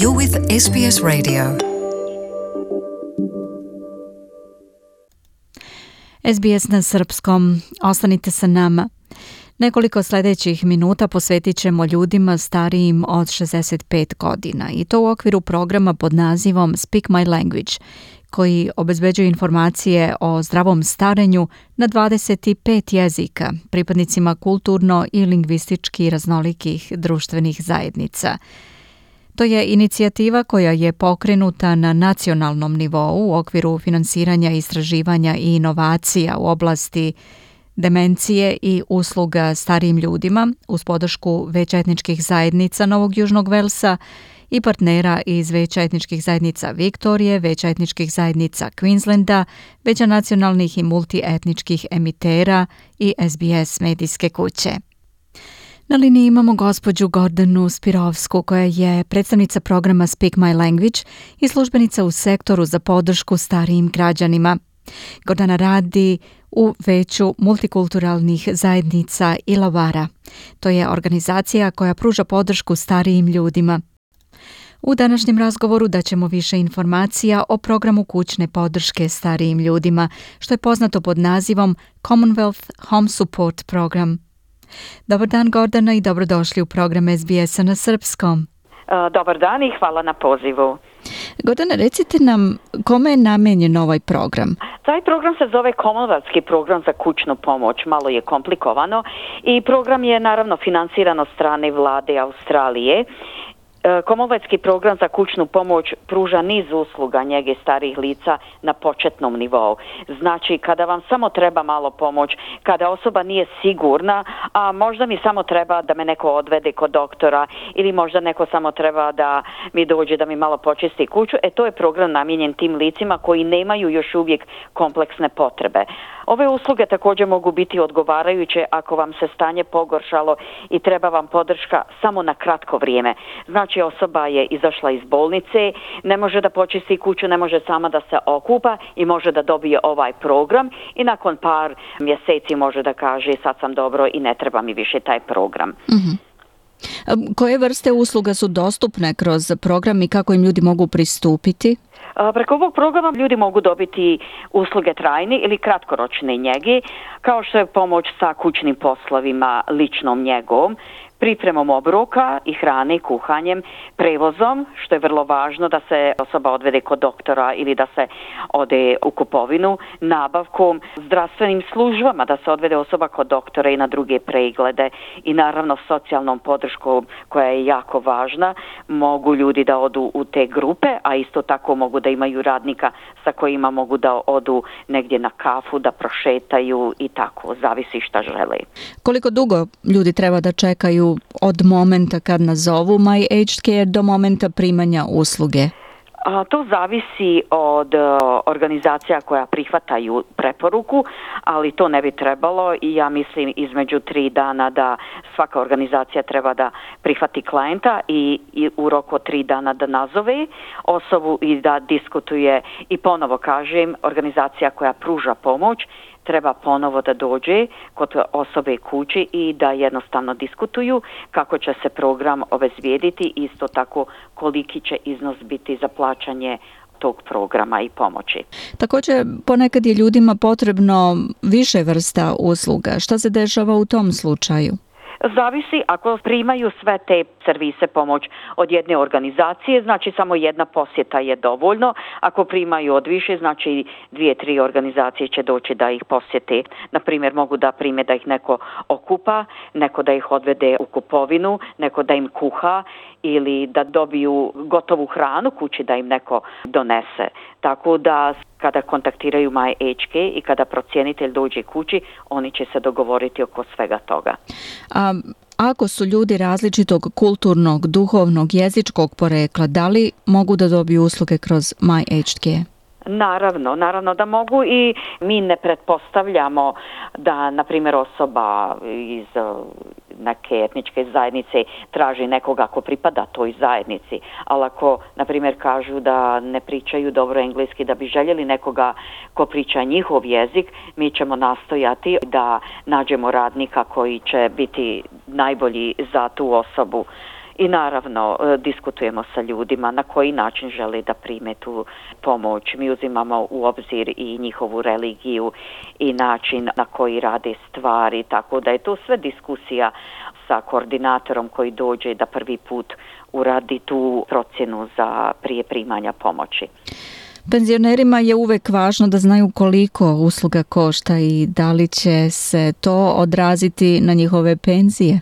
You're with SBS Radio. SBS na srpskom. Ostanite sa nama. Nekoliko sljedećih minuta posvetit ćemo ljudima starijim od 65 godina i to u okviru programa pod nazivom Speak My Language, koji obezbeđuje informacije o zdravom starenju na 25 jezika pripadnicima kulturno i lingvistički raznolikih društvenih zajednica. To je inicijativa koja je pokrenuta na nacionalnom nivou u okviru finansiranja istraživanja i inovacija u oblasti demencije i usluga starijim ljudima uz podršku Veća etničkih zajednica Novog Južnog Velsa i partnera iz Veća etničkih zajednica Viktorije, Veća etničkih zajednica Queenslanda, Veća nacionalnih i multietničkih emitera i SBS medijske kuće. Na liniji imamo gospođu Gordanu Spirovsku, koja je predstavnica programa Speak My Language i službenica u sektoru za podršku starijim građanima. Gordana radi u Veću multikulturalnih zajednica Illawarra. To je organizacija koja pruža podršku starijim ljudima. U današnjem razgovoru daćemo više informacija o programu kućne podrške starijim ljudima, što je poznato pod nazivom Commonwealth Home Support Program. Dobar dan, Gordana, i dobrodošli u program SBS-a na srpskom. Dobar dan i hvala na pozivu. Gordana, recite nam kome je namenjen ovaj program? Taj program se zove Commonwealthski program za kućnu pomoć, malo je komplikovano i program je naravno finansiran od strane vlade Australije. Commonwealthski program za kućnu pomoć pruža niz usluga njege starijih lica na početnom nivou. Znači, kada vam samo treba malo pomoć, kada osoba nije sigurna, a možda mi samo treba da me neko odvede kod doktora ili možda neko samo treba da mi dođe da mi malo počisti kuću, to je program namijenjen tim licima koji nemaju još uvijek kompleksne potrebe. Ove usluge također mogu biti odgovarajuće ako vam se stanje pogoršalo i treba vam podrška samo na kratko vrijeme. Znači, osoba je izašla iz bolnice, ne može da počisti kuću, ne može sama da se okupa i može da dobije ovaj program i nakon par mjeseci može da kaže sad sam dobro i ne treba mi više taj program. Mm-hmm. Koje vrste usluga su dostupne kroz program i kako im ljudi mogu pristupiti? Preko ovog programa ljudi mogu dobiti usluge trajne ili kratkoročne njege, kao što je pomoć sa kućnim poslovima, ličnom njegom, pripremom obroka i hrane, kuhanjem, prevozom, što je vrlo važno da se osoba odvede kod doktora ili da se ode u kupovinu, nabavkom, zdravstvenim službama, da se odvede osoba kod doktora i na druge preglede i naravno socijalnom podrškom koja je jako važna. Mogu ljudi da odu u te grupe, a isto tako mogu da imaju radnika sa kojima mogu da odu negdje na kafu, da prošetaju i tako, zavisi šta žele. Koliko dugo ljudi treba da čekaju od momenta kad nazovu My Aged Care do momenta primanja usluge? To zavisi od organizacija koja prihvataju preporuku, ali to ne bi trebalo i ja mislim između 3 dana da svaka organizacija treba da prihvati klijenta i u roku od 3 dana da nazove osobu i da diskutuje. I ponovo kažem, organizacija koja pruža pomoć treba ponovo da dođe kod osobe kući i da jednostavno diskutuju kako će se program obezbijediti, isto tako koliki će iznos biti za plaćanje tog programa i pomoći. Također, ponekad je ljudima potrebno više vrsta usluga. Šta se dešava u tom slučaju? Zavisi, ako primaju sve te servise pomoć od jedne organizacije, znači samo jedna posjeta je dovoljno. Ako primaju od više, znači 2-3 organizacije će doći da ih posjete. Naprimjer, mogu da prime da ih neko okupa, neko da ih odvede u kupovinu, neko da im kuha ili da dobiju gotovu hranu kući da im neko donese. Tako da kada kontaktiraju My Aged Care i kada procjenitelj dođe kući, oni će se dogovoriti oko svega toga. Ako su ljudi različitog kulturnog, duhovnog, jezičkog porekla, da li mogu da dobiju usluge kroz My Aged Care? Naravno da mogu i mi ne pretpostavljamo da, na primjer, osoba iz neke etničke zajednice traži nekoga ko pripada toj zajednici, ali ako, na primjer, kažu da ne pričaju dobro engleski, da bi željeli nekoga ko priča njihov jezik, mi ćemo nastojati da nađemo radnika koji će biti najbolji za tu osobu. i naravno diskutujemo sa ljudima na koji način žele da prime tu pomoć. Mi uzimamo u obzir i njihovu religiju i način na koji rade stvari, tako da je to sve diskusija sa koordinatorom koji dođe da prvi put uradi tu procjenu za prije primanja pomoći. Penzionerima je uvek važno da znaju koliko usluga košta i da li će se to odraziti na njihove penzije.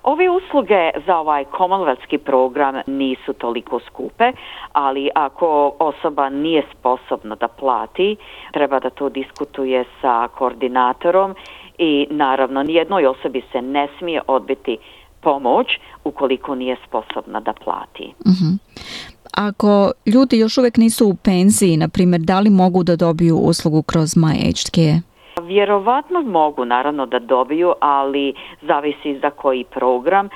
Ove usluge za ovaj Commonwealthski program nisu toliko skupe, ali ako osoba nije sposobna da plati, treba da to diskutuje sa koordinatorom i naravno nijednoj osobi se ne smije odbiti pomoć ukoliko nije sposobna da plati. Ako ljudi još uvijek nisu u penziji, na primjer, da li mogu da dobiju uslugu kroz My Aged Care? Vjerovatno mogu naravno da dobiju, ali zavisi za koji program.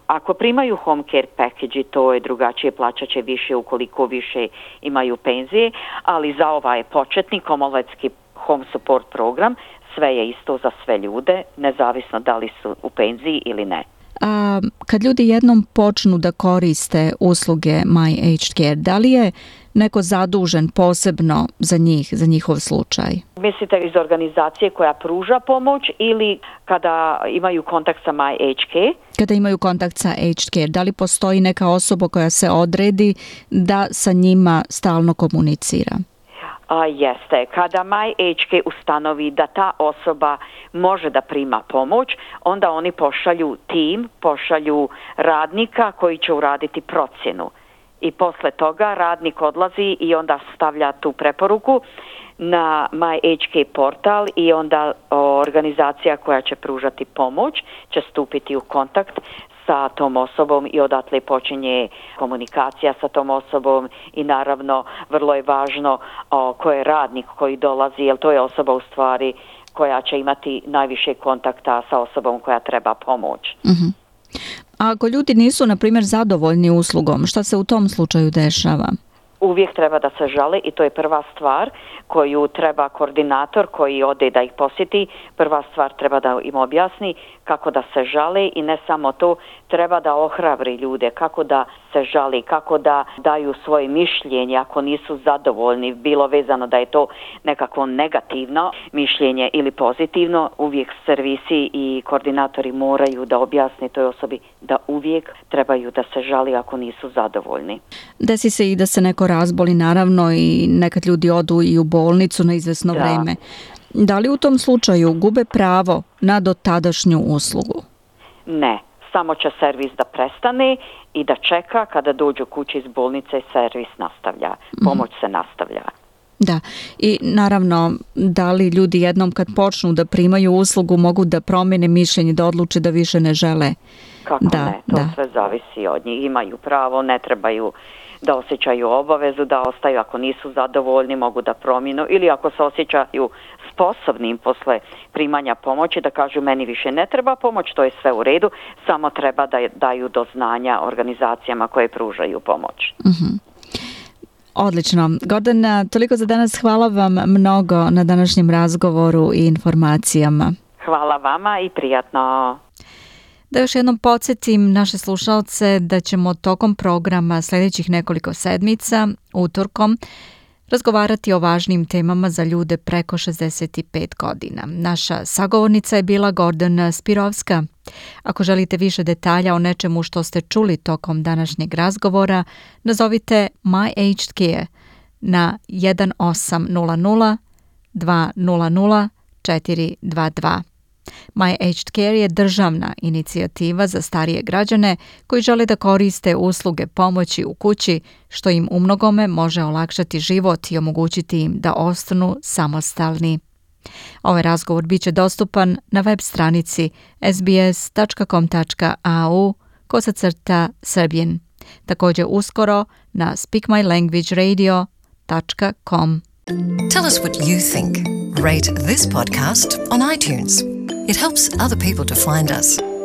Ako primaju home care package, to je drugačije, plaćat će više ukoliko više imaju penzije, ali za ovaj početni Commonwealthski home support program sve je isto za sve ljude, nezavisno da li su u penziji ili ne. A kad ljudi jednom počnu da koriste usluge My Aged Care, da li je neko zadužen posebno za njih, za njihov slučaj? Mislite iz organizacije koja pruža pomoć ili kada imaju kontakt sa My Aged Care? Kada imaju kontakt sa Aged Care, da li postoji neka osoba koja se odredi da sa njima stalno komunicira? Jeste. Kada My Aged Care ustanovi da ta osoba može da prima pomoć, onda oni pošalju tim, pošalju radnika koji će uraditi procjenu. I posle toga radnik odlazi i onda stavlja tu preporuku na My Aged Care portal i onda organizacija koja će pružati pomoć će stupiti u kontakt sa tom osobom i odatle počinje komunikacija sa tom osobom i naravno vrlo je važno ko je radnik koji dolazi, jer to je osoba u stvari koja će imati najviše kontakta sa osobom koja treba pomoć. A ako ljudi nisu, na primjer, zadovoljni uslugom, šta se u tom slučaju dešava? Uvijek treba da se žale i to je prva stvar koju treba koordinator koji ode da ih posjeti. Prva stvar treba da im objasni kako da se žale i ne samo to, treba da ohrabri ljude kako da se žali, kako da daju svoje mišljenje ako nisu zadovoljni, bilo vezano da je to nekako negativno mišljenje ili pozitivno. Uvijek servisi i koordinatori moraju da objasne toj osobi da uvijek trebaju da se žali ako nisu zadovoljni. Desi se i da se neko razboli, naravno, i nekad ljudi odu i u bolnicu na izvesno vreme. Da li u tom slučaju gube pravo na dotadašnju uslugu? Ne, samo će servis da prestane i da čeka kada dođu kući iz bolnice, servis nastavlja, pomoć se nastavlja. Da, i naravno, da li ljudi jednom kad počnu da primaju uslugu mogu da promene mišljenje, da odluče da više ne žele? Kako ne, to sve zavisi od njih. Imaju pravo, ne trebaju da osjećaju obavezu, da ostaju ako nisu zadovoljni, mogu da promijenu ili ako se osjećaju sposobnim posle primanja pomoći da kažu meni više ne treba pomoć, to je sve u redu, samo treba da daju do znanja organizacijama koje pružaju pomoć. Odlično. Gordana, toliko za danas. Hvala vam mnogo na današnjem razgovoru i informacijama. Hvala vama i prijatno. Da još jednom podsjetim naše slušalce da ćemo tokom programa sljedećih nekoliko sedmica, utorkom, razgovarati o važnim temama za ljude preko 65 godina. Naša sagovornica je bila Gordana Spirovska. Ako želite više detalja o nečemu što ste čuli tokom današnjeg razgovora, nazovite My Aged Care na 1800 200 422. My Aged Care je državna inicijativa za starije građane koji žele da koriste usluge pomoći u kući, što im umnogome može olakšati život i omogućiti im da ostanu samostalni. Ovaj razgovor bit će dostupan na web stranici sbs.com.au/Serbian. Također uskoro na speakmylanguageradio.com. Tell us what you think. Rate this podcast on iTunes. It helps other people to find us.